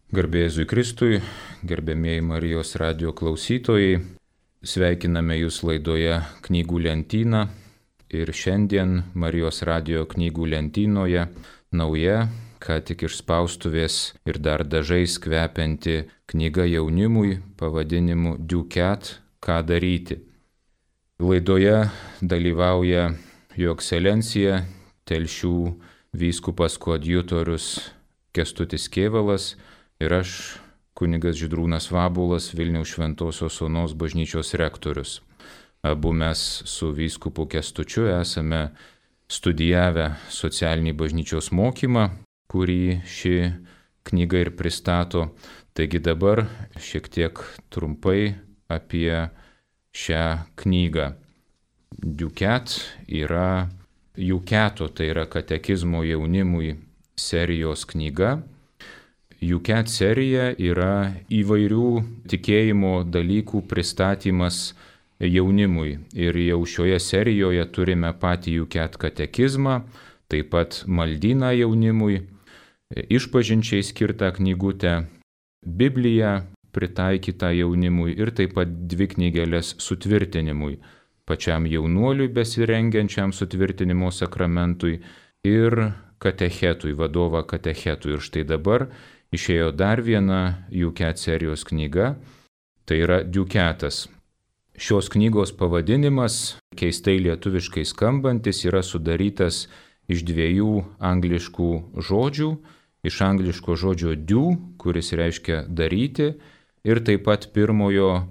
Garbė Jėzui Kristui, gerbėmieji Marijos radijo klausytojai, sveikiname Jūs laidoje Knygų lentyna ir šiandien Marijos radijo knygų lentynoje nauja, ką tik iš spaustuvės ir dar dažais kvepianti knyga jaunimui pavadinimu Duket – ką daryti. Laidoje dalyvauja Jo ekscelencija Telšių vyskupas koadjutorius Kęstutis Kėvalas ir aš, kunigas Žydrūnas Vabuolas, Vilniaus Šventosios Onos bažnyčios rektorius. Abu mes su vyskupu Kęstučiu esame studijavę socialinį bažnyčios mokymą, kurį ši knyga ir pristato. Taigi dabar šiek tiek trumpai apie šią knygą. Duket yra Juketo, tai yra katekizmo jaunimui serijos knyga. Duket serija yra įvairių tikėjimo dalykų pristatymas jaunimui. Ir jau šioje serijoje turime patį Duket katekizmą, taip pat maldyną jaunimui, išpažinčiai skirtą knygutę, Bibliją pritaikytą jaunimui ir taip pat 2 knygeles sutvirtinimui, pačiam jaunuoliui besirengiančiam sutvirtinimo sakramentui ir katechetui, vadovą katechetui. Ir štai dabar išėjo dar viena Duket serijos knyga, tai yra Duketas. Šios knygos pavadinimas, keistai lietuviškai skambantis, yra sudarytas iš 2 angliškų žodžių, iš angliško žodžio do, kuris reiškia daryti, ir taip pat pirmojo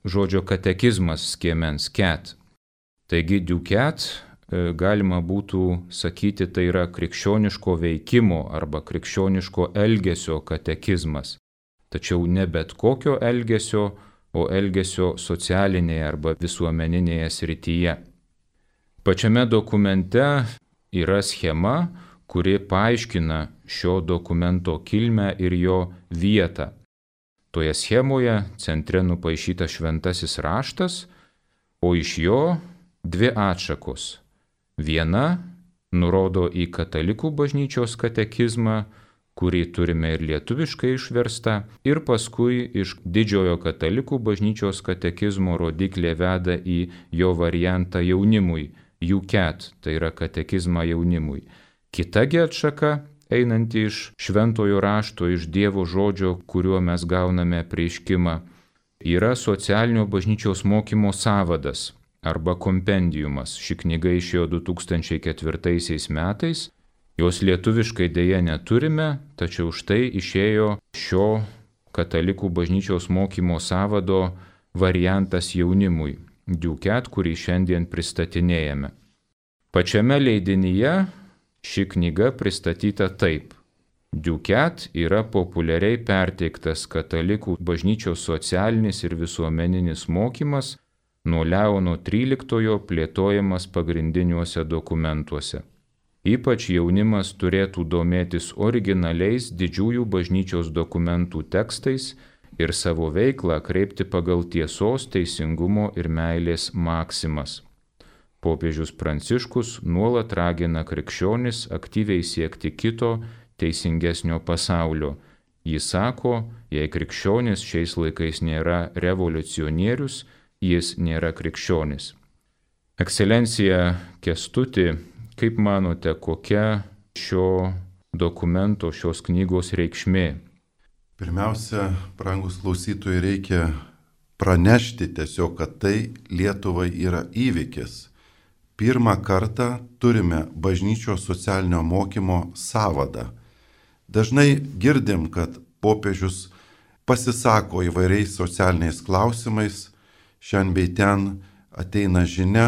žodžio katekizmas skiemens ket. Taigi Duket galima būtų sakyti, tai yra krikščioniško veikimo arba krikščioniško elgesio katekizmas. Tačiau ne bet kokio elgesio, o elgesio socialinėje arba visuomeninėje srityje. Pačiame dokumente yra schema, kuri paaiškina šio dokumento kilmę ir jo vietą. Toje schemoje centre nupaišytas šventasis raštas, o iš jo 2 atšakos. Viena nurodo į katalikų bažnyčios katekizmą, kurį turime ir lietuviškai išverstą, ir paskui iš didžiojo katalikų bažnyčios katekizmo rodiklė veda į jo variantą jaunimui, Duket, tai yra katekizmą jaunimui. Kitagi atšaka, einanti iš šventojo rašto, iš Dievo žodžio, kuriuo mes gauname apreiškimą, yra socialinio bažnyčios mokymo sąvadas arba kompendiumas. Ši knyga išėjo 2004 metais, jos lietuviškai dėja neturime, tačiau štai išėjo šio katalikų bažnyčios mokymo sąvado variantas jaunimui, Duket, kurį šiandien pristatinėjame. Pačiame leidinyje ši knyga pristatyta taip. Duket yra populiariai perteiktas katalikų bažnyčios socialinis ir visuomeninis mokymas, nuo Leono XIII plėtojamas pagrindiniuose dokumentuose. Ypač jaunimas turėtų domėtis originaliais didžiųjų bažnyčios dokumentų tekstais ir savo veiklą kreipti pagal tiesos, teisingumo ir meilės maksimas. Popiežius Pranciškus nuolat ragina krikščionis aktyviai siekti kito, teisingesnio pasaulio. Jis sako, jei krikščionis šiais laikais nėra revoliucionierius, jis nėra krikščionis. Ekscelencija Kęstuti, kaip manote, kokia šio dokumento, šios knygos reikšmė? Pirmiausia, brangus klausytojai, reikia pranešti tiesiog, kad tai Lietuvai yra įvykis. Pirmą kartą turime bažnyčios socialinio mokymo sąvadą. Dažnai girdim, kad popiežius pasisako įvairiais socialiniais klausimais, šiandien bei ten ateina žinia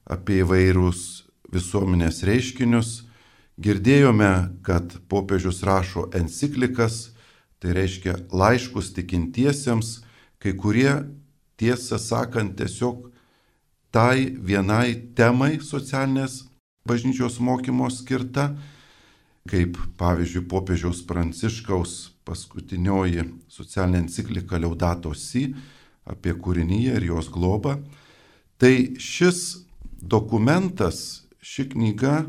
apie įvairius visuomenės reiškinius. Girdėjome, kad popiežius rašo enciklikas, tai reiškia laiškus tikintiesiems, kai kurie, tiesą sakant, tiesiog tai vienai temai socialinės bažnyčios mokymo skirta, kaip pavyzdžiui popiežiaus Pranciškaus paskutinioji socialinė enciklika Laudato Si apie kūriniją ir jos globą. Tai šis dokumentas, ši knyga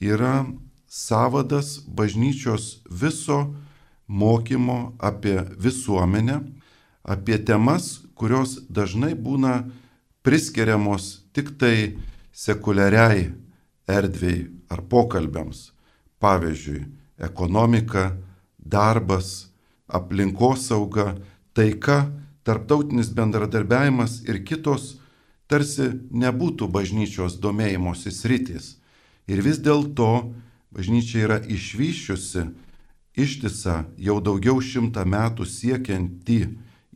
yra sąvadas bažnyčios viso mokymo apie visuomenę, apie temas, kurios dažnai būna priskiriamos tik tai sekuliariai erdvei ar pokalbiams. Pavyzdžiui, ekonomika, darbas, aplinkosauga, taika, tarptautinis bendradarbiavimas ir kitos tarsi nebūtų bažnyčios domėjimosi sritys. Ir vis dėlto bažnyčia yra išvyščiusi ištisą jau daugiau 100 metų siekiantį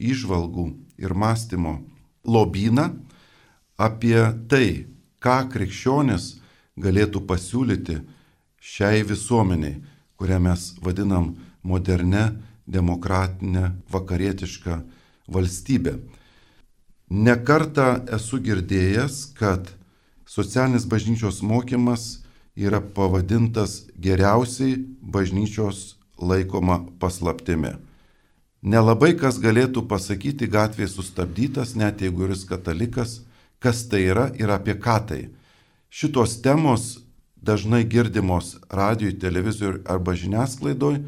įžvalgų ir mąstymo lobyną apie tai, ką krikščionis galėtų pasiūlyti šiai visuomeniai, kurią mes vadinam modernę, demokratinę, vakarietišką valstybę. Nekartą esu girdėjęs, kad socialinis bažnyčios mokymas yra pavadintas geriausiai bažnyčios laikoma paslaptimi. Nelabai kas galėtų pasakyti gatvėje sustabdytas, net jeigu jis katalikas, kas tai yra ir apie ką tai. Šitos temos dažnai girdimos radijoj, televizoriui arba žiniasklaidoj,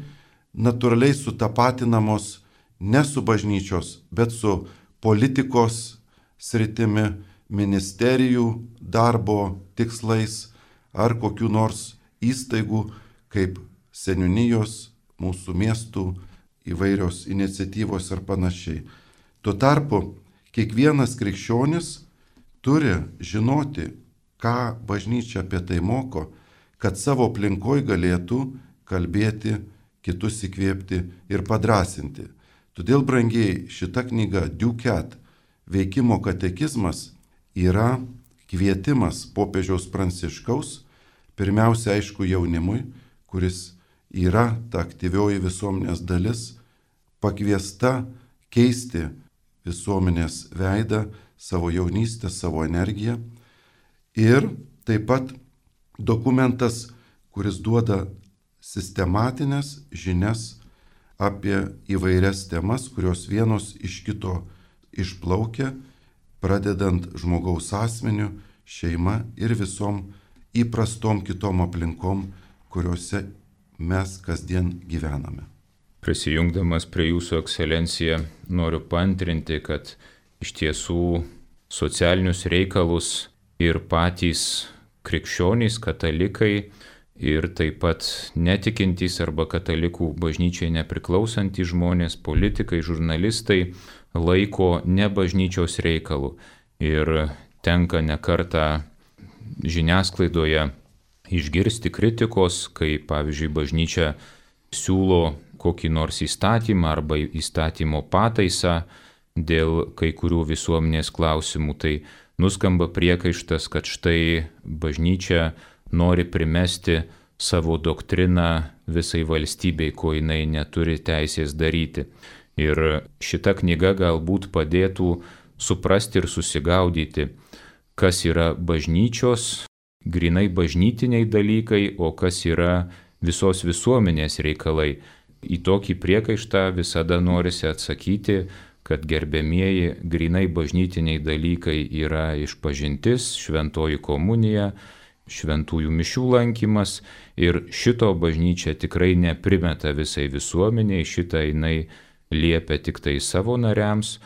natūraliai sutapatinamos ne su bažnyčios, bet su politikos sritimi, ministerijų darbo tikslais ar kokių nors įstaigų kaip seniūnijos, mūsų miestų įvairios iniciatyvos ir panašiai. Tuo tarpu kiekvienas krikščionis turi žinoti, ką bažnyčia apie tai moko, kad savo aplinkoje galėtų kalbėti, kitus įkvėpti ir padrasinti. Todėl, brangiai, šita knyga Ducat, veikimo katekizmas, yra kvietimas popiežiaus Pranciškaus, pirmiausia, aišku, jaunimui, kuris yra ta aktyvioji visuomenės dalis, pakviesta keisti visuomenės veidą, savo jaunystę, savo energiją. Ir taip pat dokumentas, kuris duoda sistematinės žinias apie įvairias temas, kurios vienos iš kito išplaukia, pradedant žmogaus asmeniu, šeima ir visom įprastom kitom aplinkom, kuriuose mes kasdien gyvename. Prisijungdamas prie jūsų, ekscelencija, noriu paantrinti, kad iš tiesų socialinius reikalus ir patys krikščionys, katalikai ir taip pat netikintys arba katalikų bažnyčiai nepriklausantys žmonės, politikai, žurnalistai laiko ne bažnyčios reikalų. Ir tenka nekartą žiniasklaidoje išgirsti kritikos, kai pavyzdžiui bažnyčia siūlo kokį nors įstatymą arba įstatymo pataisą dėl kai kurių visuomenės klausimų, tai nuskamba priekaištas, kad štai bažnyčia nori primesti savo doktriną visai valstybei, ko jinai neturi teisės daryti. Ir šita knyga galbūt padėtų suprasti ir susigaudyti, kas yra bažnyčios, grinai bažnytiniai dalykai, o kas yra visos visuomenės reikalai. Į tokį priekaištą visada norisi atsakyti, kad gerbiamieji grinai bažnytiniai dalykai yra išpažintis, šventoji komunija, šventųjų mišių lankymas ir šito bažnyčia tikrai neprimeta visai visuomeniai, šitą jinai liepia tik tai savo nariams.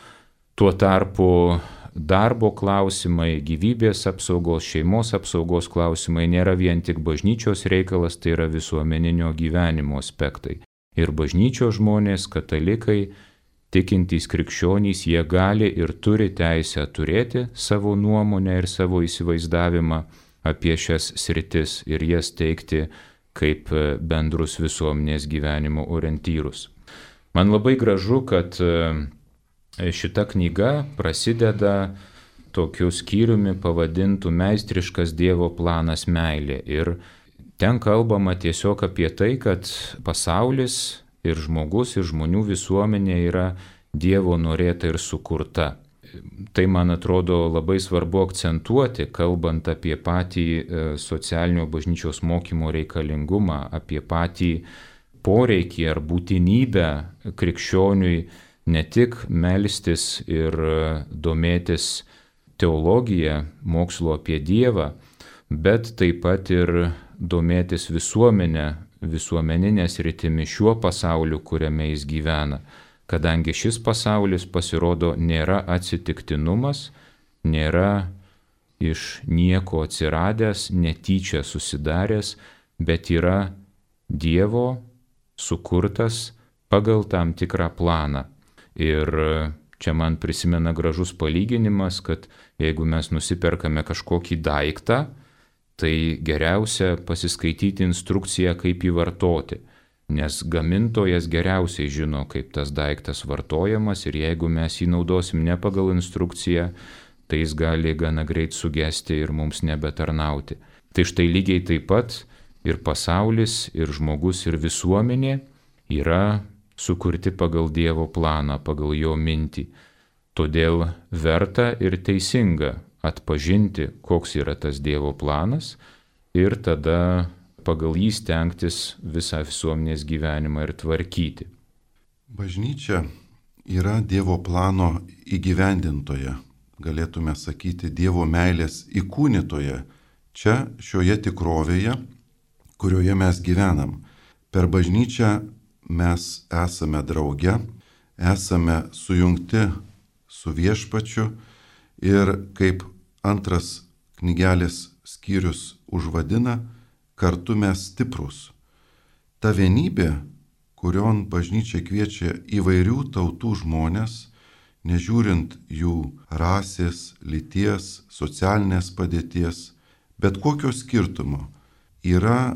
Tuo tarpu darbo klausimai, gyvybės apsaugos, šeimos apsaugos klausimai nėra vien tik bažnyčios reikalas, tai yra visuomeninio gyvenimo aspektai. Ir bažnyčios žmonės, katalikai, tikintys krikščionys, jie gali ir turi teisę turėti savo nuomonę ir savo įsivaizdavimą apie šias sritis ir jas teikti kaip bendrus visuomenės gyvenimo orientyrus. Man labai gražu, kad šita knyga prasideda tokiu skyriumi pavadintu Meistriškas Dievo planas meilė. Ir ten kalbama tiesiog apie tai, kad pasaulis ir žmogus ir žmonių visuomenė yra Dievo norėta ir sukurta. Tai, man atrodo, labai svarbu akcentuoti, kalbant apie patį socialinio bažnyčios mokymo reikalingumą, apie patį poreikį ar būtinybę krikščioniui ne tik melstis ir domėtis teologija, mokslo apie Dievą, bet taip pat ir domėtis visuomenę, visuomeninė sritimi, šiuo pasauliu, kuriame jis gyvena, kadangi šis pasaulis pasirodo nėra atsitiktinumas, nėra iš nieko atsiradęs, netyčia susidaręs, bet yra Dievo sukurtas pagal tam tikrą planą. Ir čia man prisimena gražus palyginimas, kad jeigu mes nusiperkame kažkokį daiktą, tai geriausia pasiskaityti instrukciją, kaip jį vartoti, nes gamintojas geriausiai žino, kaip tas daiktas vartojamas ir jeigu mes jį naudosim ne pagal instrukciją, tai jis gali gana greit sugesti ir mums nebetarnauti. Tai štai lygiai taip pat ir pasaulis, ir žmogus, ir visuomenė yra sukurti pagal Dievo planą, pagal jo mintį. Todėl verta ir teisinga atpažinti, koks yra tas Dievo planas ir tada pagal jį stengtis visą visuomenės gyvenimą ir tvarkyti. Bažnyčia yra Dievo plano įgyvendintoja, galėtume sakyti Dievo meilės įkūnytoja. Čia šioje tikrovėje, kurioje mes gyvenam. Per bažnyčią mes esame drauge, esame sujungti su Viešpačiu ir kaip antras knygelės skyrius užvadina, kartu mes stiprūs. Ta vienybė, kurion bažnyčia kviečia įvairių tautų žmonės, nežiūrint jų rasės, lyties, socialinės padėties, bet kokio skirtumo, yra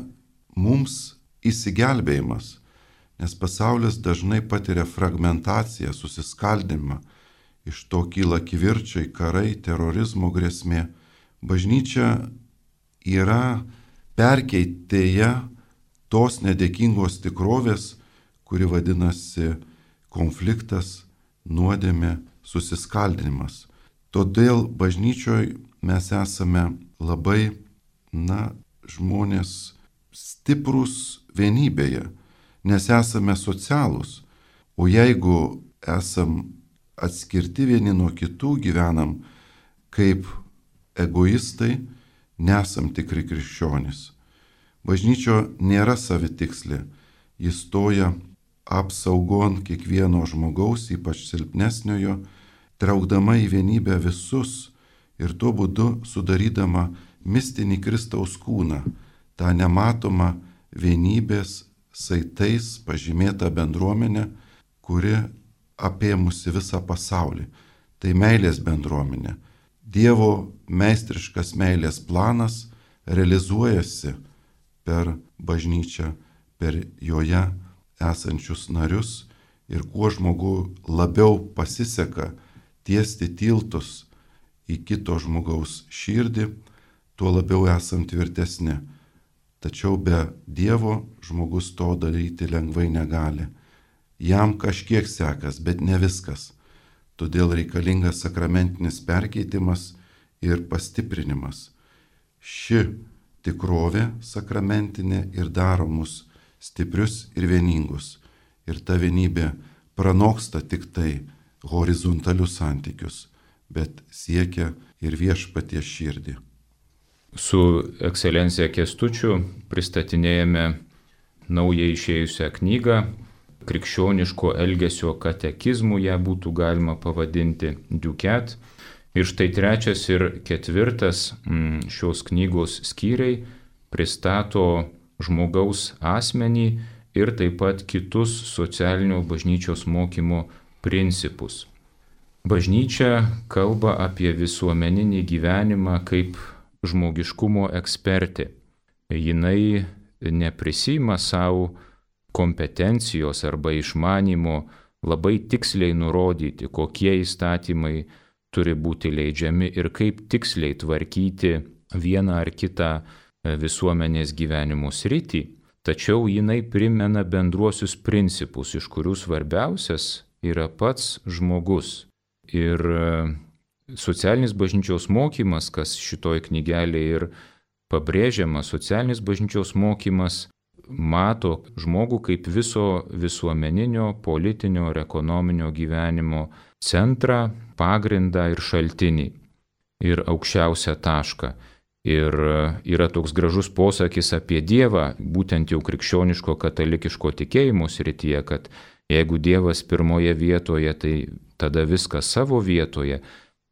mums įsigelbėjimas, nes pasaulis dažnai patiria fragmentaciją, susiskaldimą, iš to kyla kivirčiai, karai, terorizmo grėsmė. Bažnyčia yra perkeitėja tos nedėkingos tikrovės, kuri vadinasi konfliktas, nuodėmė, susiskaldinimas. Todėl bažnyčioje mes esame labai, žmonės stiprūs vienybėje, nes esame socialūs. O jeigu esam atskirti vieni nuo kitų, gyvenam kaip egoistai, nesam tikri krikščionys. Bažnyčia nėra savitikslė, jis stoja apsaugon kiekvieno žmogaus, ypač silpnesniojo, traukdama į vienybę visus ir tuo būdu sudarydama mistinį Kristaus kūną, tą nematomą vienybės saitais pažymėtą bendruomenę, kuri apėmusi visą pasaulį. Tai meilės bendruomenė. Dievo meistriškas meilės planas realizuojasi per bažnyčią, per joje esančius narius ir kuo žmogui labiau pasiseka tiesti tiltus į kito žmogaus širdį, tuo labiau esam tvirtesni. Tačiau be Dievo žmogus to daryti lengvai negali. Jam kažkiek sekas, bet ne viskas. Todėl reikalingas sakramentinis perkeitimas ir pastiprinimas. Ši tikrovė sakramentinė ir daro mus stiprius ir vieningus. Ir ta vienybė pranoksta tik tai horizontalius santykius, bet siekia ir Viešpaties širdį. Su ekscelencija Kęstučiu pristatinėjame naują išėjusią knygą, krikščioniško elgesio katekizmų ją būtų galima pavadinti Duket. Ir štai 3 ir 4 šios knygos skyriai pristato žmogaus asmenį ir taip pat kitus socialinio bažnyčios mokymo principus. Bažnyčia kalba apie visuomeninį gyvenimą kaip žmogiškumo ekspertė. Jinai neprisima savo kompetencijos arba išmanymo labai tiksliai nurodyti, kokie įstatymai turi būti leidžiami ir kaip tiksliai tvarkyti vieną ar kitą visuomenės gyvenimo sritį, tačiau jinai primena bendruosius principus, iš kurių svarbiausias yra pats žmogus. Ir socialinis bažnyčios mokymas, kas šitoj knygelėje ir pabrėžiama, socialinis bažnyčios mokymas mato žmogų kaip viso visuomeninio, politinio ir ekonominio gyvenimo centrą, pagrindą ir šaltinį ir aukščiausią tašką. Ir yra toks gražus posakis apie Dievą, būtent jau krikščioniško katalikiško tikėjimo srityje, kad jeigu Dievas pirmoje vietoje, tai tada viskas savo vietoje,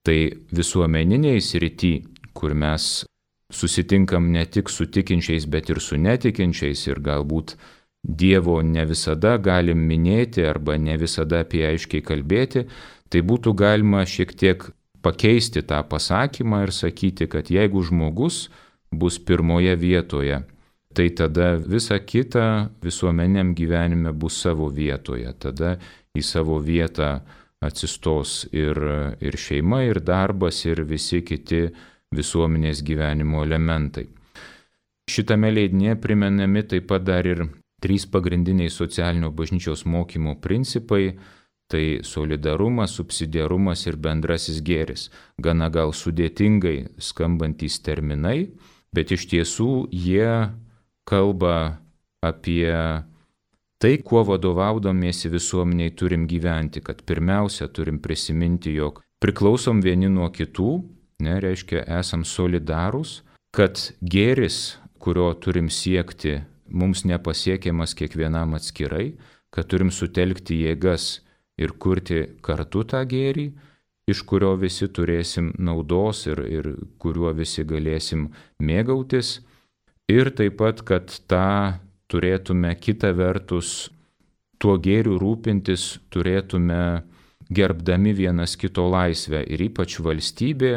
tai visuomeniniai srity, kur mes susitinkam ne tik su tikinčiais, bet ir su netikinčiais ir galbūt Dievo ne visada galim minėti arba ne visada apie aiškiai kalbėti, tai būtų galima šiek tiek pakeisti tą pasakymą ir sakyti, kad jeigu žmogus bus pirmoje vietoje, tai tada visa kita visuomeniniam gyvenime bus savo vietoje. Tada į savo vietą atsistos ir šeima, ir darbas, ir visi kiti visuomenės gyvenimo elementai. Šitame leidinėje primenami taip pat dar ir 3 pagrindiniai socialinio bažnyčios mokymo principai. Tai solidarumas, subsidiarumas ir bendrasis gėris. Gana gal sudėtingai skambantys terminai, bet iš tiesų jie kalba apie tai, kuo vadovaudomėsi visuomeniai turim gyventi, kad pirmiausia turim prisiminti, jog priklausom vieni nuo kitų, reiškia esam solidarūs, kad gėris, kurio turim siekti, mums nepasiekiamas kiekvienam atskirai, kad turim sutelkti jėgas ir kurti kartu tą gėrį, iš kurio visi turėsim naudos ir kuriuo visi galėsim mėgautis. Ir taip pat, kad tą turėtume kita vertus, tuo gėriu rūpintis turėtume gerbdami vienas kito laisvę. Ir ypač valstybė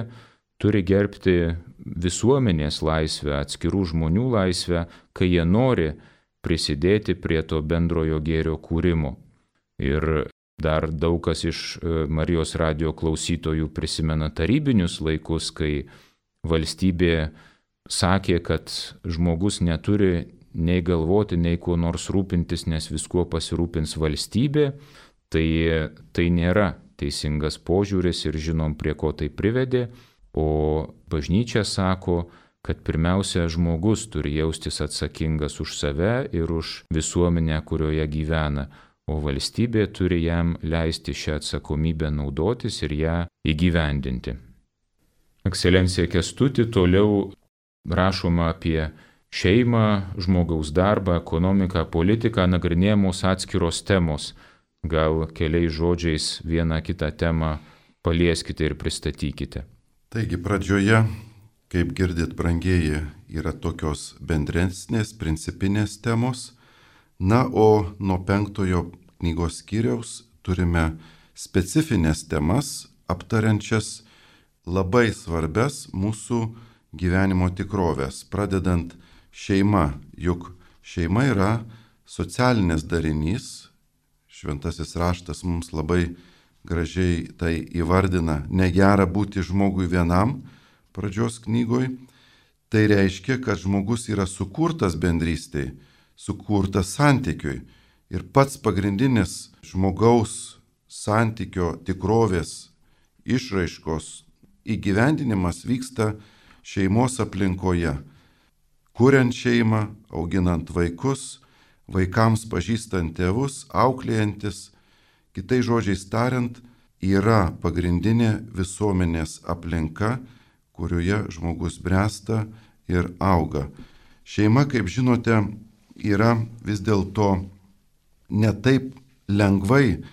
turi gerbti visuomenės laisvę, atskirų žmonių laisvę, kai jie nori prisidėti prie to bendrojo gėrio kūrimo. Ir dar daug kas iš Marijos radijo klausytojų prisimena tarybinius laikus, kai valstybė sakė, kad žmogus neturi nei galvoti, nei kuo nors rūpintis, nes viskuo pasirūpins valstybė. Tai nėra teisingas požiūris ir žinom, prie ko tai privedė. O bažnyčia sako, kad pirmiausia žmogus turi jaustis atsakingas už save ir už visuomenę, kurioje gyvena. O valstybė turi jam leisti šią atsakomybę naudotis ir ją įgyvendinti. Ekscelencija Kęstuti, toliau rašoma apie šeimą, žmogaus darbą, ekonomiką, politiką, nagrinėjamos atskiros temos. Gal keliais žodžiais vieną kitą temą palieskite ir pristatykite. Taigi pradžioje, kaip girdit, brangieji, yra tokios bendresnės, principinės temos. Na, o nuo 5 knygos skyriaus turime specifines temas, aptariančias labai svarbias mūsų gyvenimo tikrovės, pradedant šeima, juk šeima yra socialinis darinys. Šventasis raštas mums labai gražiai tai įvardina, negera būti žmogui vienam, pradžios knygoj. Tai reiškia, kad žmogus yra sukurtas bendrystei, sukurtas santykiui. Ir pats pagrindinis žmogaus santykio tikrovės išraiškos įgyvendinimas vyksta šeimos aplinkoje. Kuriant šeimą, auginant vaikus, vaikams pažįstant tėvus, auklėjantis, kitais žodžiais tariant, yra pagrindinė visuomenės aplinka, kurioje žmogus bręsta ir auga. Šeima, kaip žinote, yra vis dėlto ne taip lengvai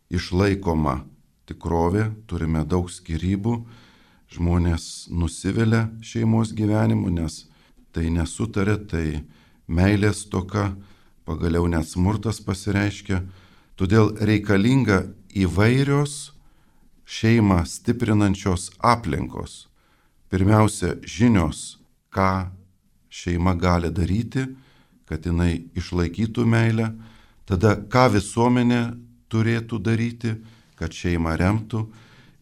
išlaikoma tikrovė, turime daug skyrybų, žmonės nusivilia šeimos gyvenimu, nes tai nesutarė, tai meilės stoka, pagaliau net smurtas pasireiškia. Todėl reikalinga įvairios šeimą stiprinančios aplinkos. Pirmiausia, žinios, ką šeima gali daryti, kad jinai išlaikytų meilę. Tada, ką visuomenė turėtų daryti, kad šeimą remtų.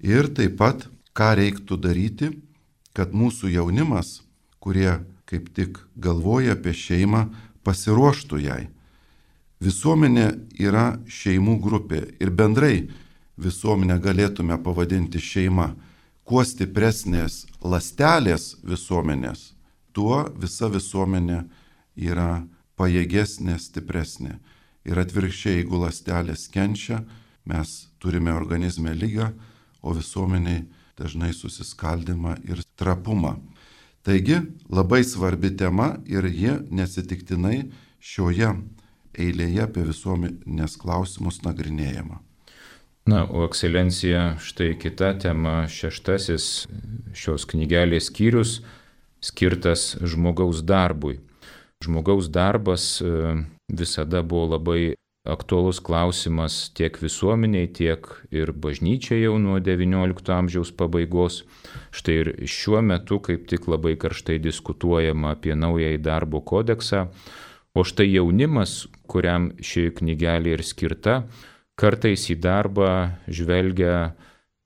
Ir taip pat, ką reiktų daryti, kad mūsų jaunimas, kurie kaip tik galvoja apie šeimą, pasiruoštų jai. Visuomenė yra šeimų grupė ir bendrai visuomenę galėtume pavadinti šeima. Kuo stipresnės ląstelės visuomenės, tuo visa visuomenė yra pajėgesnė, stipresnė. Ir atvirkščiai, jeigu ląstelės kenčia, mes turime organizme ligą, o visuomeniai dažnai susiskaldimą ir trapumą. Taigi labai svarbi tema ir ji nesitiktinai šioje eilėje apie visuomenės klausimus nagrinėjama. Na, o ekscelencija, štai kita tema, 6 šios knygelės skyrius skirtas žmogaus darbui. Žmogaus darbas visada buvo labai aktuolus klausimas tiek visuomeniai, tiek ir bažnyčiai jau nuo XIX amžiaus pabaigos. Štai ir šiuo metu kaip tik labai karštai diskutuojama apie naująjį darbo kodeksą, o štai jaunimas, kuriam ši knygelė ir skirta, kartais į darbą žvelgia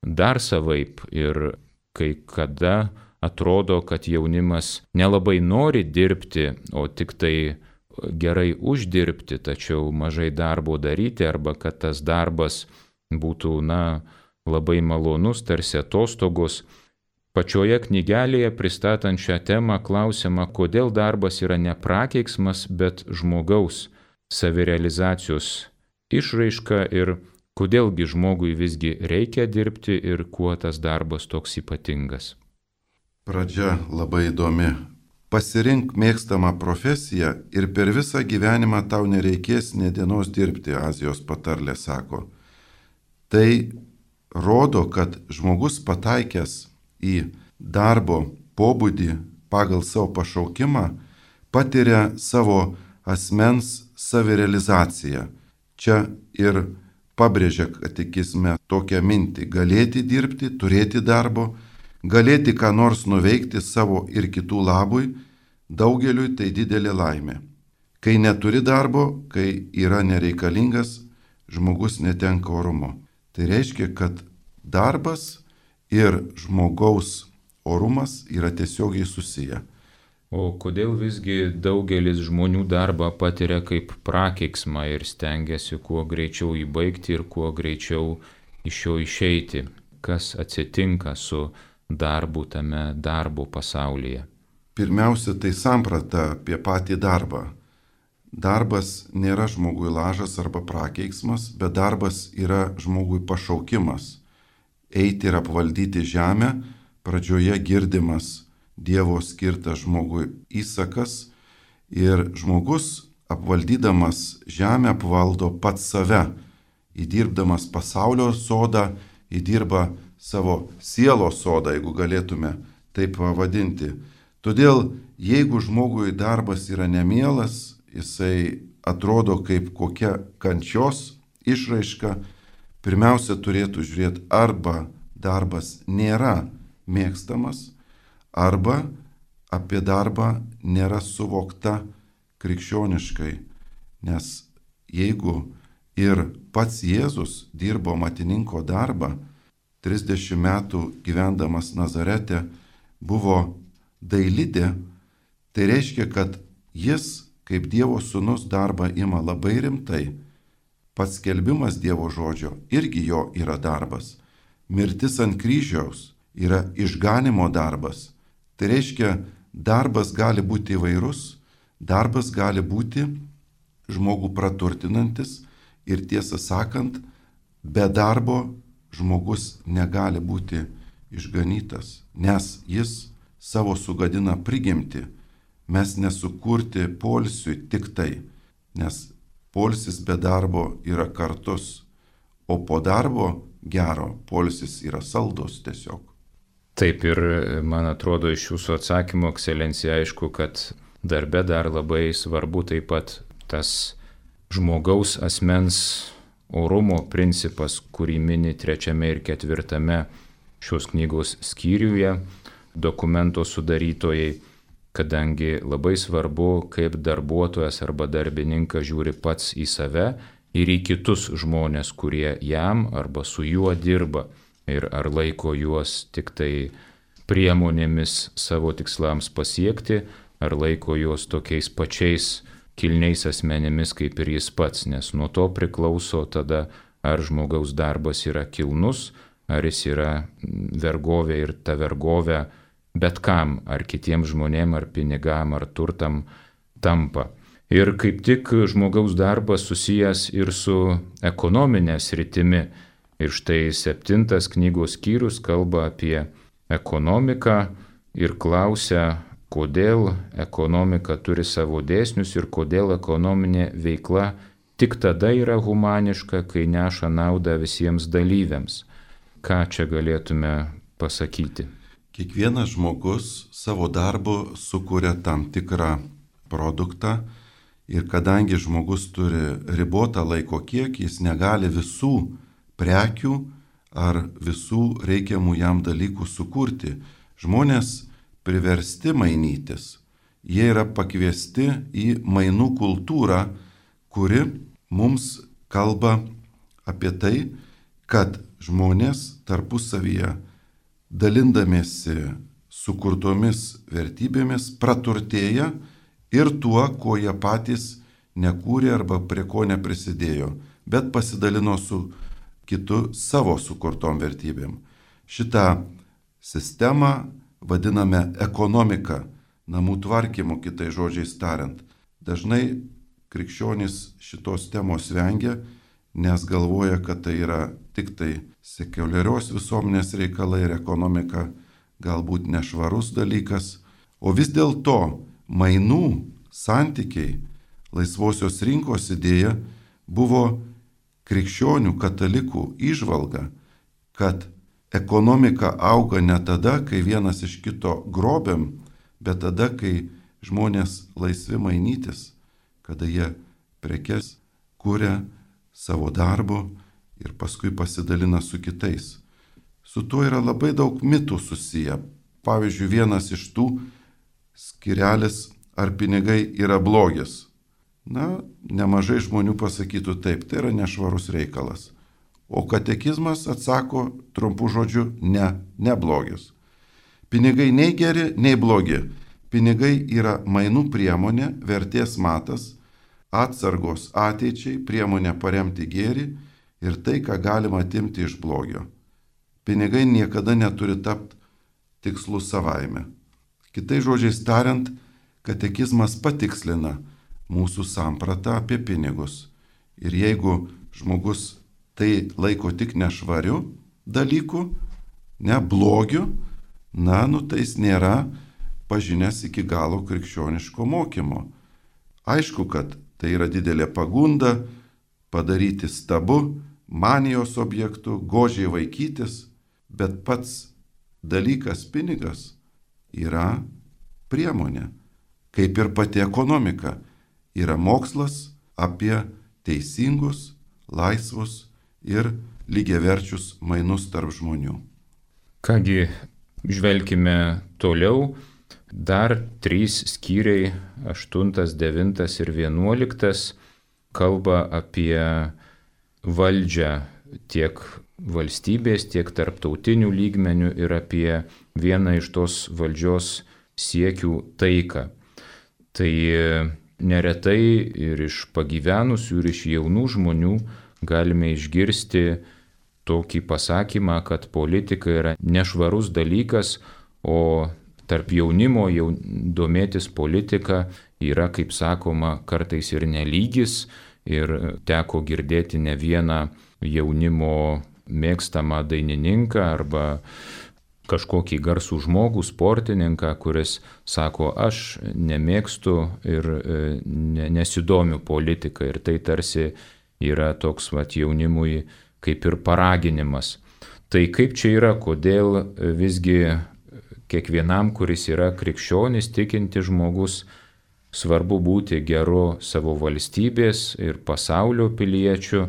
dar savaip ir kai kada atrodo, kad jaunimas nelabai nori dirbti, o tik tai gerai uždirbti, tačiau mažai darbo daryti, arba kad tas darbas būtų, labai malonus, tarsi atostogos. Pačioje knygelėje pristatant šią temą klausiama, kodėl darbas yra ne prakeiksmas, bet žmogaus savirealizacijos išraiška ir kodėlgi žmogui visgi reikia dirbti ir kuo tas darbas toks ypatingas. Pradžia labai įdomi. Pasirink mėgstamą profesiją ir per visą gyvenimą tau nereikės nė dienos dirbti, Azijos patarlė sako. Tai rodo, kad žmogus pataikęs į darbo pobūdį pagal savo pašaukimą patiria savo asmens savirealizaciją. Čia ir pabrėžia katekizme tokią mintį - galėti dirbti, turėti darbo, galėti ką nors nuveikti savo ir kitų labui, daugeliui tai didelė laimė. Kai neturi darbo, kai yra nereikalingas, žmogus netenka orumo. Tai reiškia, kad darbas ir žmogaus orumas yra tiesiogiai susiję. O kodėl visgi daugelis žmonių darbą patiria kaip prakeiksmą ir stengiasi kuo greičiau įbaigti ir kuo greičiau iš jo išeiti? Kas atsitinka su darbu tame darbo pasaulyje? Pirmiausia, tai samprata apie patį darbą. Darbas nėra žmogui lažas arba prakeiksmas, bet darbas yra žmogui pašaukimas. Eiti ir apvaldyti žemę, pradžioje girdimas Dievo skirtas žmogui įsakas ir žmogus apvaldydamas žemę apvaldo pats save, įdirbdamas pasaulio sodą, įdirba savo sielos sodą, jeigu galėtume taip pavadinti. Todėl, jeigu žmogui darbas yra nemielas, jisai atrodo kaip kokia kančios išraiška, pirmiausia turėtų žiūrėti, arba darbas nėra mėgstamas, arba apie darbą nėra suvokta krikščioniškai. Nes jeigu ir pats Jėzus dirbo matininko darbą, 30 metų gyvendamas Nazarete buvo dailidė, tai reiškia, kad jis, kaip Dievo sūnus, darbą ima labai rimtai. Pats skelbimas Dievo žodžio irgi jo yra darbas. Mirtis ant kryžiaus yra išganimo darbas. Tai reiškia, darbas gali būti įvairus, darbas gali būti žmogų praturtinantis ir tiesą sakant, be darbo žmogus negali būti išganytas, nes jis savo sugadina prigimtį. Mes nesukurti poilsiui tik tai, nes poilsis be darbo yra kartus, o po darbo gero poilsis yra saldus tiesiog. Taip ir man atrodo iš jūsų atsakymo, ekscelencija, aišku, kad darbe dar labai svarbu taip pat tas žmogaus asmens orumo principas, kurį mini 3 ir 4 šios knygos skyriuje dokumento sudarytojai, kadangi labai svarbu, kaip darbuotojas arba darbininkas žiūri pats į save ir į kitus žmonės, kurie jam arba su juo dirba. Ir ar laiko juos tik tai priemonėmis savo tikslams pasiekti, ar laiko juos tokiais pačiais kilniais asmenimis kaip ir jis pats, nes nuo to priklauso tada, ar žmogaus darbas yra kilnus, ar jis yra vergovė ir ta vergovė bet kam, ar kitiems žmonėm, ar pinigam, ar turtam tampa. Ir kaip tik žmogaus darbas susijęs ir su ekonominė sritimi. Ir štai 7 knygos skyrius kalba apie ekonomiką ir klausia, kodėl ekonomika turi savo dėsnius ir kodėl ekonominė veikla tik tada yra humaniška, kai neša naudą visiems dalyviams. Ką čia galėtume pasakyti? Kiekvienas žmogus savo darbu sukuria tam tikrą produktą ir kadangi žmogus turi ribotą laiko kiekį, jis negali visų prekių ar visų reikiamų jam dalykų sukurti. Žmonės priversti mainytis. Jie yra pakviesti į mainų kultūrą, kuri mums kalba apie tai, kad žmonės tarpusavyje dalindamiesi sukurtomis vertybėmis praturtėja ir tuo, ko jie patys nekūrė arba prie ko neprisidėjo, bet pasidalino su kitu savo sukurtom vertybėm. Šitą sistemą vadiname ekonomika, namų tvarkymu, kitai žodžiais tariant. Dažnai krikščionys šitos temos vengia, nes galvoja, kad tai yra tik tai sekuliarios visuomenės reikalai ir ekonomika galbūt nešvarus dalykas. O vis dėlto mainų santykiai, laisvosios rinkos idėja buvo krikščionių katalikų įžvalga, kad ekonomika auga ne tada, kai vienas iš kito grobiam, bet tada, kai žmonės laisvi mainytis, kada jie prekes kuria savo darbu ir paskui pasidalina su kitais. Su tuo yra labai daug mitų susiję. Pavyzdžiui, vienas iš tų skirelis, ar pinigai yra blogis. Nemažai žmonių pasakytų taip, tai yra nešvarus reikalas. O katekizmas atsako trumpu žodžiu ne blogis. Pinigai nei geri, nei blogi. Pinigai yra mainų priemonė, vertės matas, atsargos ateičiai, priemonė paremti gėrį ir tai, ką galima atimti iš blogio. Pinigai niekada neturi tapti tikslu savaime. Kitais žodžiais tariant, katekizmas patikslina mūsų sampratą apie pinigus. Ir jeigu žmogus tai laiko tik nešvariu dalyku, ne blogiu, tai jis nėra pažinęs iki galo krikščioniško mokymo. Aišku, kad tai yra didelė pagunda padaryti stabu, manijos objektų, godžiai vaikytis, bet pats dalykas pinigas yra priemonė, kaip ir pati ekonomika. Yra mokslas apie teisingus, laisvus ir lygiaverčius mainus tarp žmonių. Kągi, žvelkime toliau. Dar 3 skyriai, 8, 9 ir 11, kalba apie valdžią tiek valstybės, tiek tarptautinių lygmenių ir apie vieną iš tos valdžios siekių taiką. Tai neretai ir iš pagyvenusių, ir iš jaunų žmonių galime išgirsti tokį pasakymą, kad politika yra nešvarus dalykas, o tarp jaunimo domėtis politika yra, kaip sakoma, kartais ir nelygis, ir teko girdėti ne vieną jaunimo mėgstamą dainininką arba kažkokį garsų žmogų, sportininką, kuris sako, aš nemėgstu ir nesidomiu politiką. Ir tai tarsi yra toks jaunimui kaip ir paraginimas. Tai kaip čia yra, kodėl visgi kiekvienam, kuris yra krikščionis, tikinti žmogus, svarbu būti geru savo valstybės ir pasaulio piliečiu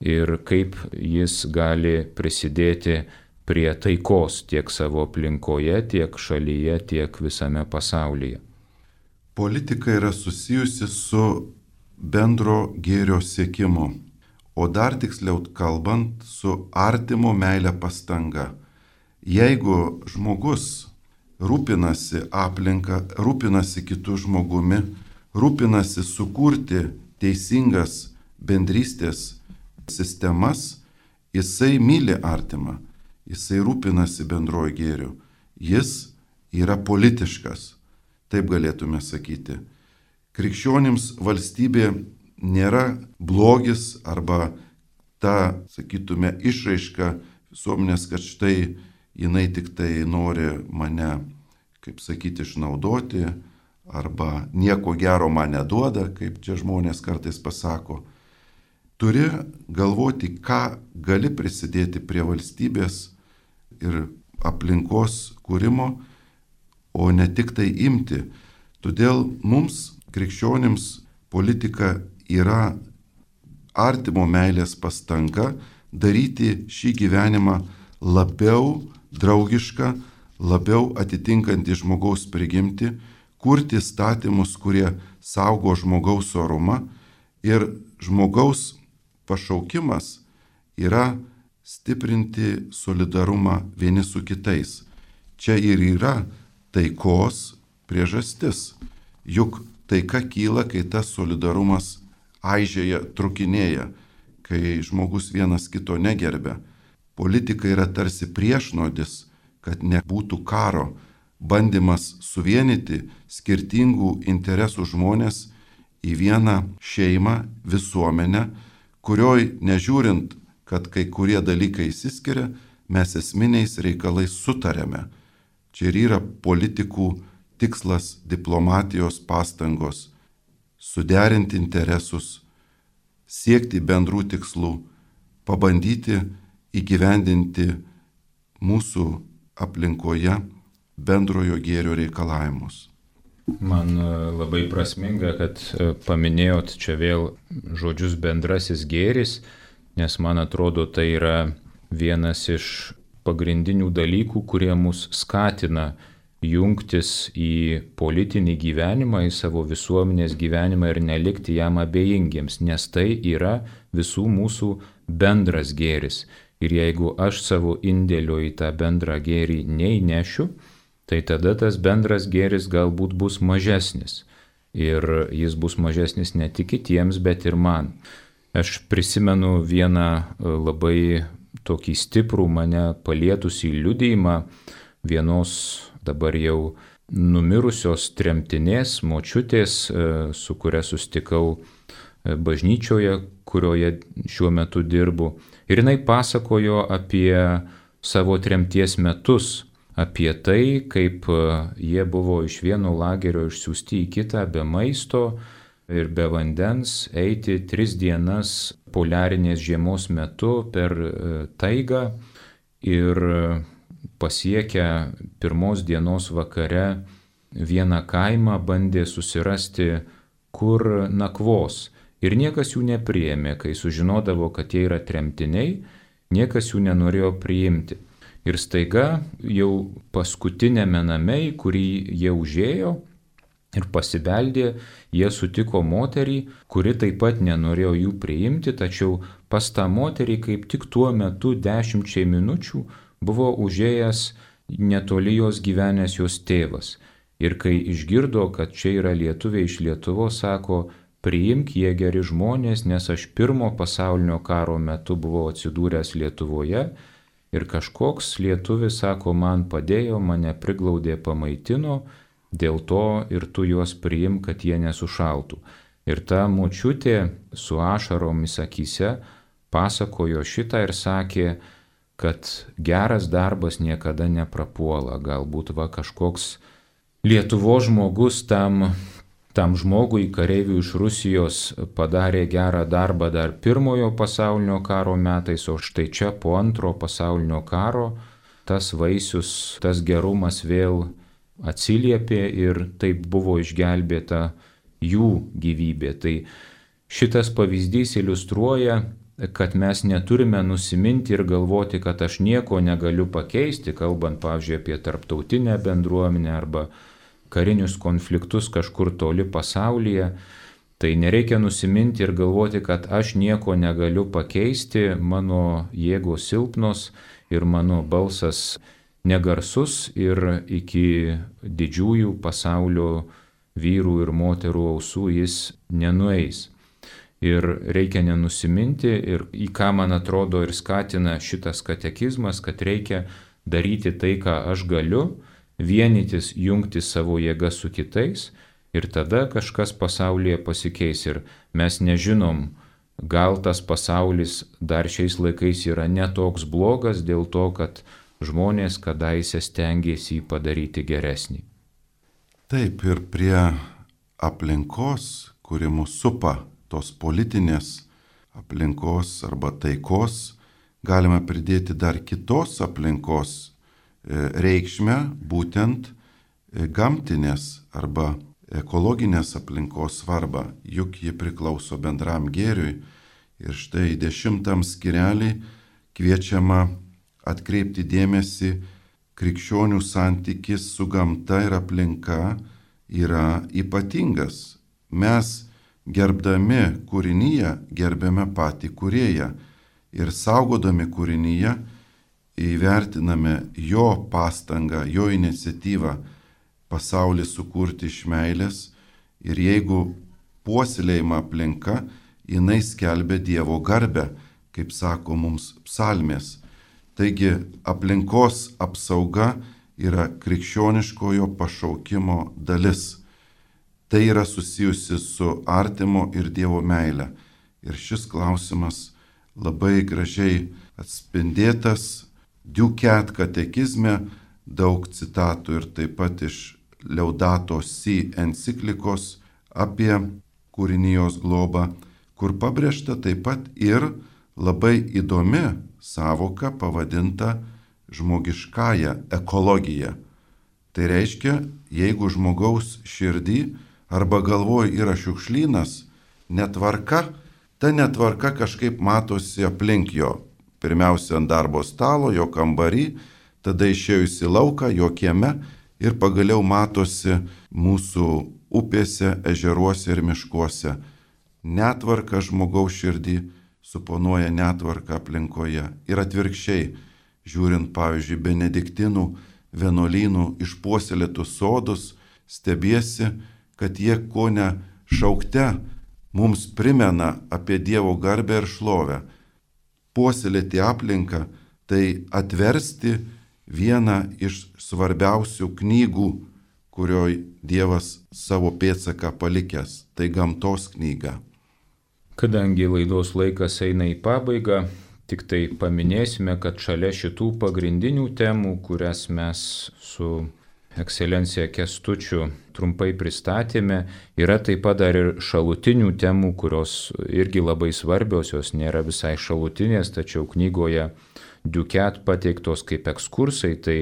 ir kaip jis gali prisidėti prie taikos tiek savo aplinkoje, tiek šalyje, tiek visame pasaulyje. Politika yra susijusi su bendro gėrio siekimu, o dar tiksliau kalbant, su artimo meilė pastanga. Jeigu žmogus rūpinasi aplinką, rūpinasi kitų žmogumi, rūpinasi sukurti teisingas bendrystės sistemas, jisai myli artimą, jisai rūpinasi bendrojo gėriu, jis yra politiškas, taip galėtume sakyti. Krikščionims valstybė nėra blogis arba ta, sakytume, išraiška visuomenės, kad štai jinai tik tai nori mane kaip sakyti, išnaudoti, arba nieko gero man neduoda, kaip čia žmonės kartais pasako. Turi galvoti, ką gali prisidėti prie valstybės ir aplinkos kūrimo, o ne tik tai imti. Todėl mums, krikščionims, politika yra artimo meilės pastanga daryti šį gyvenimą labiau draugišką, labiau atitinkantį žmogaus prigimtį, kurti įstatymus, kurie saugo žmogaus orumą, ir žmogaus pašaukimas yra stiprinti solidarumą vieni su kitais. Čia ir yra taikos priežastis. Juk taika kyla, kai tas solidarumas aižėja, trukinėja, kai žmogus vienas kito negerbia. Politika yra tarsi priešnodis, kad nebūtų karo, bandymas suvienyti skirtingų interesų žmonės į vieną šeimą, visuomenę, kurioj, nežiūrint, kad kai kurie dalykai išsiskiria, mes esminiais reikalais sutarėme. Čia ir yra politikų tikslas, diplomatijos pastangos - suderinti interesus, siekti bendrų tikslų, pabandyti įgyvendinti mūsų aplinkoje bendrojo gėrio reikalavimus. Man labai prasminga, kad paminėjot čia vėl žodžius bendrasis gėris, nes man atrodo tai yra vienas iš pagrindinių dalykų, kurie mus skatina jungtis į politinį gyvenimą, į savo visuomenės gyvenimą ir nelikti jam abejingiems, nes tai yra visų mūsų bendras gėris. Ir jeigu aš savo indėlio į tą bendrą gėrį neįnešiu, tai tada tas bendras gėris galbūt bus mažesnis. Ir jis bus mažesnis ne tik kitiems, bet ir man. Aš prisimenu vieną labai tokį stiprų mane palietusį liudijimą vienos dabar jau numirusios tremtinės, močiutės, su kuria sustikau bažnyčioje, kurioje šiuo metu dirbu. Ir jinai pasakojo apie savo tremties metus, apie tai, kaip jie buvo iš vieno lagerio išsiųsti į kitą be maisto ir be vandens, eiti 3 dienas poliarinės žiemos metu per taigą ir pasiekę 1 dienos vakare vieną kaimą bandė susirasti, kur nakvos. Ir niekas jų nepriėmė, kai sužinodavo, kad jie yra tremtiniai, niekas jų nenorėjo priimti. Ir staiga jau paskutinėme name, į kurį jie užėjo ir pasibeldė, jie sutiko moterį, kuri taip pat nenorėjo jų priimti, tačiau pas tą moterį kaip tik tuo metu 10 minučių buvo užėjęs netoli jos gyvenęs jos tėvas. Ir kai išgirdo, kad čia yra lietuviai iš Lietuvos, sako: priimk, jie geri žmonės, nes aš 1 pasaulinio karo metu buvau atsidūręs Lietuvoje. Ir kažkoks lietuvis, sako, man padėjo, mane priglaudė, pamaitino, dėl to ir tu juos priimk, kad jie nesušaltų. Ir ta močiutė su ašaromis akyse pasakojo šitą ir sakė, kad geras darbas niekada neprapuola. Galbūt kažkoks Lietuvos žmogus tam žmogui, kareiviui iš Rusijos, padarė gerą darbą dar 1 pasaulinio karo metais, o štai čia po 2 pasaulinio karo tas vaisius, tas gerumas vėl atsiliepė ir taip buvo išgelbėta jų gyvybė. Tai šitas pavyzdys iliustruoja, kad mes neturime nusiminti ir galvoti, kad aš nieko negaliu pakeisti, kalbant, pavyzdžiui, apie tarptautinę bendruomenę arba karinius konfliktus kažkur toli pasaulyje. Tai nereikia nusiminti ir galvoti, kad aš nieko negaliu pakeisti, mano jėgos silpnos ir mano balsas negarsus ir iki didžiųjų pasaulio vyrų ir moterų ausų jis nenueis. Ir reikia nenusiminti ir į ką man atrodo ir skatina šitas katekizmas, kad reikia daryti tai, ką aš galiu, vienytis, jungti savo jėgą su kitais ir tada kažkas pasaulyje pasikeis. Ir mes nežinom, gal tas pasaulis dar šiais laikais yra netoks blogas dėl to, kad žmonės kadaise stengiasi jį padaryti geresnį. Taip, ir prie aplinkos, kuri mus supa, tos politinės aplinkos arba taikos, galime pridėti dar kitos aplinkos reikšmę, būtent gamtinės arba ekologinės aplinkos svarbą, juk ji priklauso bendram gėriui. Ir štai 10 skyrelį kviečiama atkreipti dėmesį, krikščionių santykis su gamta ir aplinka yra ypatingas. Mes gerbdami kūrinyje gerbėme patį kūrėją ir saugodami kūrinyje įvertiname jo pastangą, jo iniciatyvą pasaulį sukurti iš meilės, ir jeigu puoselėjama aplinka, jinai skelbia Dievo garbę, kaip sako mums psalmės. Taigi aplinkos apsauga yra krikščioniškojo pašaukimo dalis. Tai yra susijusi su artimo ir Dievo meile. Ir šis klausimas labai gražiai atspindėtas Ducat katekizme, daug citatų ir taip pat iš Laudato Si enciklikos apie kūrinijos globą, kur pabrėžta taip pat ir labai įdomi sąvoka pavadinta žmogiškąja ekologija. Tai reiškia, jeigu žmogaus širdį arba galvoj yra šiukšlynas, netvarka, ta netvarka kažkaip matosi aplink jo. Pirmiausia ant darbo stalo, jo kambarį, tada išėjus į lauką, jo kieme ir pagaliau matosi mūsų upėse, ežeruose ir miškuose. Netvarka žmogaus širdį suponuoja netvarką aplinkoje. Ir atvirkščiai, žiūrint pavyzdžiui benediktinų vienuolynų išpuoselėtus sodus, stebiesi, kad jie kone šaukte mums primena apie Dievo garbę ir šlovę. Puoselėti aplinką, tai atversti vieną iš svarbiausių knygų, kurioje Dievas savo pėdsaką palikęs, tai gamtos knyga. Kadangi laidos laikas eina į pabaigą, tik tai paminėsime, kad šalia šitų pagrindinių temų, kurias mes su Ekscelencija Kęstučiu trumpai pristatėme, yra taip pat dar ir šalutinių temų, kurios irgi labai svarbios, jos nėra visai šalutinės, tačiau knygoje Ducat pateiktos kaip ekskursai, tai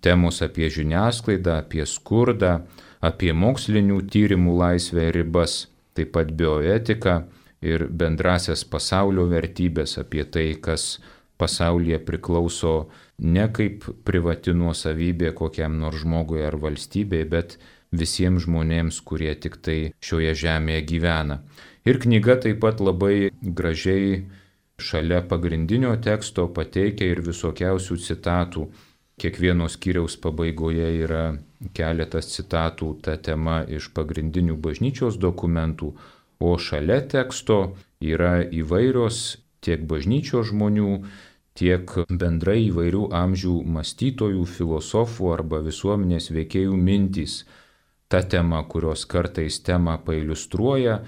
temos apie žiniasklaidą, apie skurdą, apie mokslinių tyrimų laisvę ir ribas, taip pat bioetiką ir bendrasias pasaulio vertybės, apie tai, kas pasaulyje priklauso ne kaip privati nuosavybė kokiam nors žmogui ar valstybei, bet visiems žmonėms, kurie tik tai šioje žemėje gyvena. Ir knyga taip pat labai gražiai šalia pagrindinio teksto pateikia ir visokiausių citatų. Kiekvieno skyriaus pabaigoje yra keletas citatų ta tema iš pagrindinių bažnyčios dokumentų, o šalia teksto yra įvairios tiek bažnyčios žmonių, tiek bendrai įvairių amžių mąstytojų, filosofų arba visuomenės veikėjų mintys. Ta tema, kurios kartais temą pailiustruoja,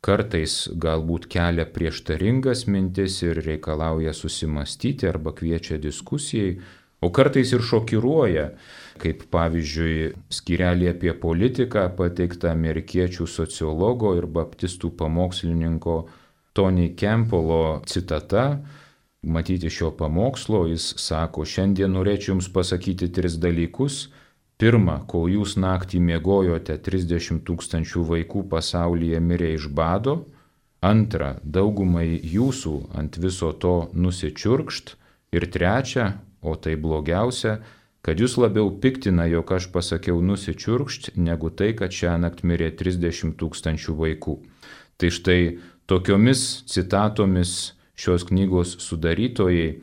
kartais galbūt kelia prieštaringas mintis ir reikalauja susimastyti arba kviečia diskusijai, o kartais ir šokiruoja, kaip pavyzdžiui skyrelį apie politiką pateikta amerikiečių sociologo ir baptistų pamokslininko Tony Campbello citata. Matyti šio pamokslo, jis sako, šiandien norėčiau jums pasakyti 3 dalykus. Pirma, kol jūs naktį miegojote, 30 000 vaikų pasaulyje mirė iš bado. Antra, daugumai jūsų ant viso to nusičiurkšt. Ir trečia, o tai blogiausia, kad jūs labiau piktina, jog aš pasakiau nusičiurkšt, negu tai, kad šiąnakt mirė 30 000 vaikų. Tai štai tokiomis citatomis šios knygos sudarytojai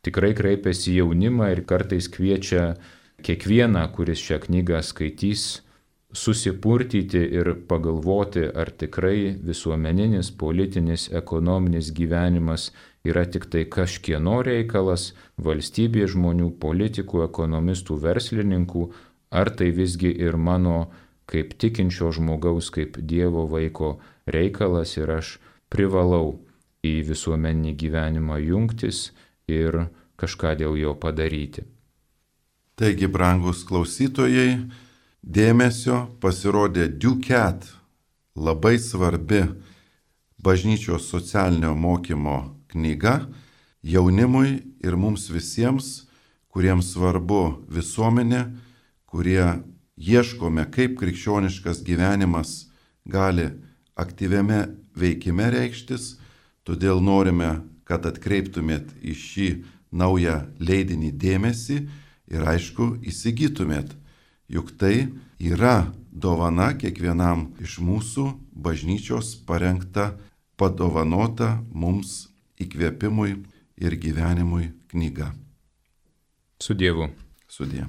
tikrai kreipiasi į jaunimą ir kartais kviečia kiekvieną, kuris šią knygą skaitys, susipurtyti ir pagalvoti, ar tikrai visuomeninis, politinis, ekonominis gyvenimas yra tik tai kažkieno reikalas, valstybės žmonių, politikų, ekonomistų, verslininkų, ar tai visgi ir mano kaip tikinčio žmogaus, kaip Dievo vaiko reikalas ir aš privalau į visuomeninį gyvenimą jungtis ir kažką dėl jo padaryti. Taigi, brangus klausytojai, dėmesio pasirodė Ducat, labai svarbi bažnyčios socialinio mokymo knyga jaunimui ir mums visiems, kuriems svarbu visuomenė, kurie ieškome, kaip krikščioniškas gyvenimas gali aktyviame veikime reikštis, todėl norime, kad atkreiptumėt į šį naują leidinį dėmesį ir aišku įsigytumėt, juk tai yra dovana kiekvienam iš mūsų bažnyčios parengta, padovanota mums įkvėpimui ir gyvenimui knyga. Su Dievu. Sudie.